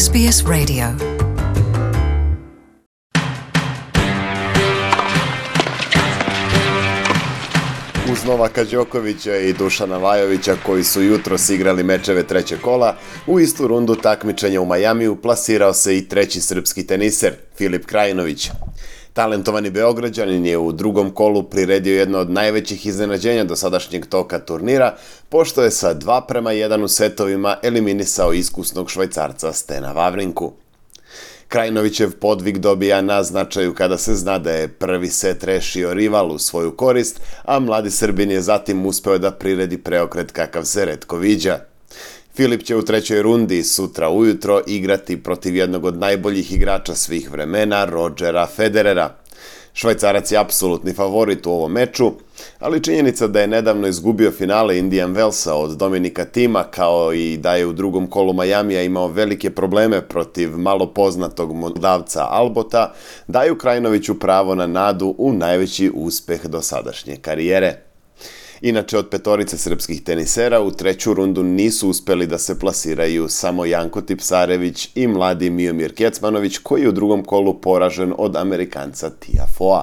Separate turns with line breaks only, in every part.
SBS Radio.
Uz Novaka Đokovića i Dušana Lajovića koji su jutros igrali mečeve trećeg kola, u istu rundu takmičenja u Majamiju plasirao se i treći srpski teniser, Filip Krajinović. Talentovani Beograđanin je u drugom kolu priredio jedno od najvećih iznenađenja dosadašnjeg toka turnira, pošto je sa 2:1 u setovima eliminisao iskusnog Švajcarca Stena Vavrinku. Krajinovićev podvig dobija na značaju kada se zna da je prvi set rešio rival u svoju korist, a mladi Srbin je zatim uspeo da priredi preokret kakav se retko viđa. Filip će u trećoj rundi sutra ujutro igrati protiv jednog od najboljih igrača svih vremena, Rodgera Federera. Švajcarac je apsolutni favorit u ovom meču, ali činjenica da je nedavno izgubio finale Indian Wellsa od Dominika Thima, kao i da je u drugom kolu Majamija imao velike probleme protiv malo poznatog Moldavca Albota, daju Krajinoviću pravo na nadu u najveći uspeh dosadašnje karijere. Inače, od petorice srpskih tenisera u treću rundu nisu uspeli da se plasiraju samo Janko Tipsarević i mladi Miomir Kecmanović, koji je u drugom kolu poražen od Amerikanca Tiafoea.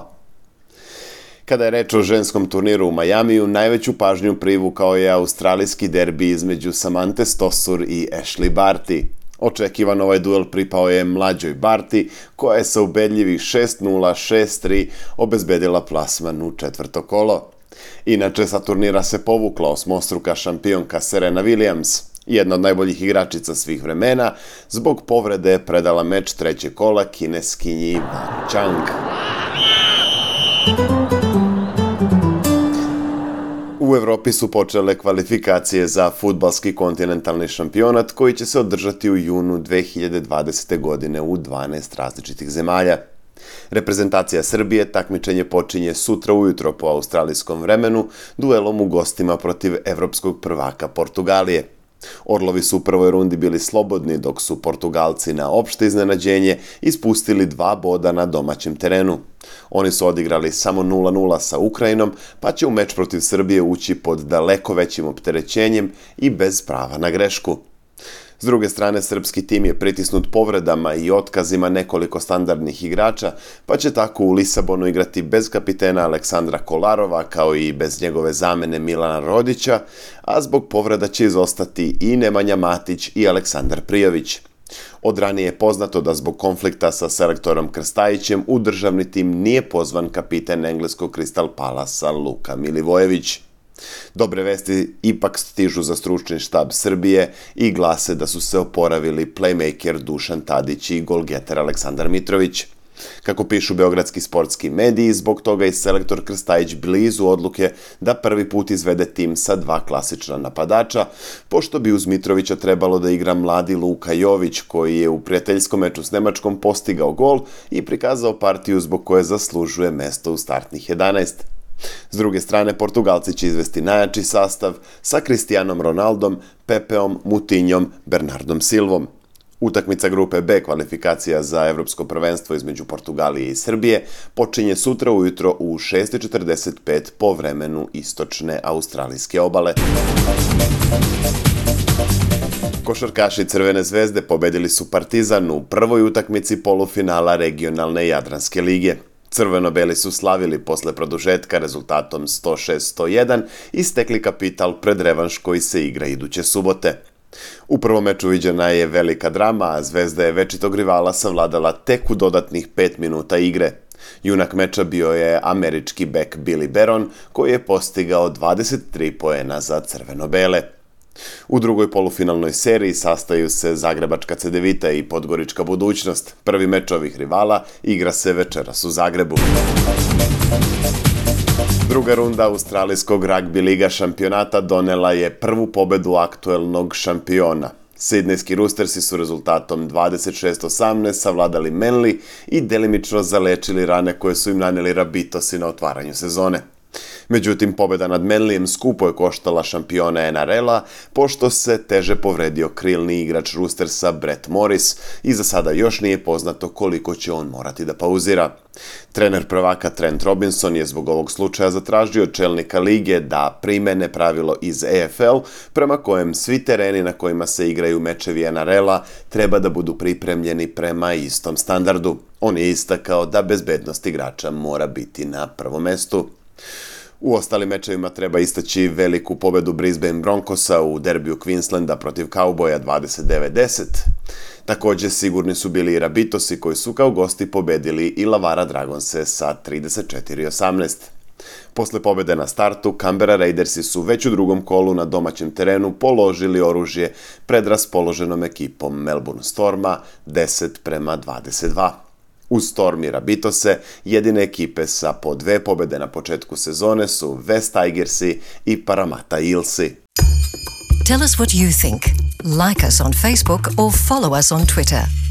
Kada je reč o ženskom turniru u Majamiju, najveću pažnju privukao je australijski derbi između Samanthe Stosur i Ashley Barty. Očekivan ovaj duel pripao je mlađoj Barty, koja je sa ubedljivih 6:0, 6:3 obezbedila plasman u četvrto kolo. Inače, sa turnira se povukla osmostruka šampionka Serena Williams, jedna od najboljih igračica svih vremena, zbog povrede je predala meč trećeg kola kineskinji Wang Chang. U Evropi su počele kvalifikacije za fudbalski kontinentalni šampionat koji će se održati u junu 2020. godine u 12 različitih zemalja. Reprezentacija Srbije takmičenje počinje sutra ujutro po australijskom vremenu duelom u gostima protiv evropskog prvaka Portugalije. Orlovi su u prvoj rundi bili slobodni, dok su Portugalci na opšte iznenađenje ispustili 2 boda na domaćem terenu. Oni su odigrali samo 0:0 sa Ukrajinom, pa će u meč protiv Srbije ući pod daleko većim opterećenjem i bez prava na grešku. S druge strane, srpski tim je pritisnut povredama i otkazima nekoliko standardnih igrača, pa će tako u Lisabonu igrati bez kapitena Aleksandra Kolarova, kao i bez njegove zamene Milana Rodića, a zbog povreda će izostati i Nemanja Matić i Aleksandar Prijović. Od ranije je poznato da zbog konflikta sa selektorom Krstajićem u državni tim nije pozvan kapiten engleskog Crystal Palasa Luka Milivojević. Dobre vesti ipak stižu za stručni štab Srbije i glase da su se oporavili playmaker Dušan Tadić i golgeter Aleksandar Mitrović. Kako pišu beogradski sportski mediji, zbog toga je selektor Krstajić blizu odluke da prvi put izvede tim sa 2 klasična napadača, pošto bi uz Mitrovića trebalo da igra mladi Luka Jović, koji je u prijateljskom meču s Nemačkom postigao gol i prikazao partiju zbog koje zaslužuje mesto u startnih 11. S druge strane, Portugalci će izvesti najjači sastav sa Cristianom Ronaldom, Pepeom, Mutinjom, Bernardom Silvom. Utakmica grupe B kvalifikacija za evropsko prvenstvo između Portugalije i Srbije počinje sutra ujutro u 6:45 po vremenu istočne australijske obale. Košarkaši Crvene zvezde pobedili su Partizan u prvoj utakmici polufinala regionalne Jadranske lige. Crveno-beli su slavili posle produžetka rezultatom 106-101 i stekli kapital pred revanš koji se igra iduće subote. U prvom meču viđena je velika drama, a Zvezda je večitog rivala savladala tek u dodatnih 5 minuta igre. Junak meča bio je američki bek Billy Baron, koji je postigao 23 poena za crveno-bele. U drugoj polufinalnoj seriji sastaju se Zagrebačka Cedevita i Podgorička Budućnost. Prvi meč ovih rivala igra se večeras u Zagrebu. Druga runda australijskog ragbi liga šampionata donela je prvu pobedu aktuelnog šampiona. Sidnejski Roostersi su rezultatom 26-18 savladali Manly i delimično zalečili rane koje su im naneli Rabitosi na otvaranju sezone. Međutim, pobjeda nad Manlyjem skupo je koštala šampione NRL-a, pošto se teže povredio krilni igrač Roostersa Brett Morris i za sada još nije poznato koliko će on morati da pauzira. Trener prvaka Trent Robinson je zbog ovog slučaja zatražio od čelnika lige da primene pravilo iz AFL prema kojem svi tereni na kojima se igraju mečevi NRL-a treba da budu pripremljeni prema istom standardu. On je istakao da bezbednost igrača mora biti na prvom mestu. U ostalim mečevima treba istaći veliku pobedu Brisbane Broncosa u derbiju Queenslanda protiv Cowboya 29-10. Također sigurni su bili i Rabitosi koji su kao gosti pobedili i Lavara Dragonse sa 34-18. Posle pobjede na startu, Canberra Raidersi su već u drugom kolu na domaćem terenu položili oružje pred raspoloženom ekipom Melbourne Storma 10-22. Uz Storm i Rabitose, jedine ekipe sa po 2 pobjede na početku sezone su West Tigersi i Parramatta Eelsi.
Tell us what you think. Like us on Facebook or follow us on Twitter.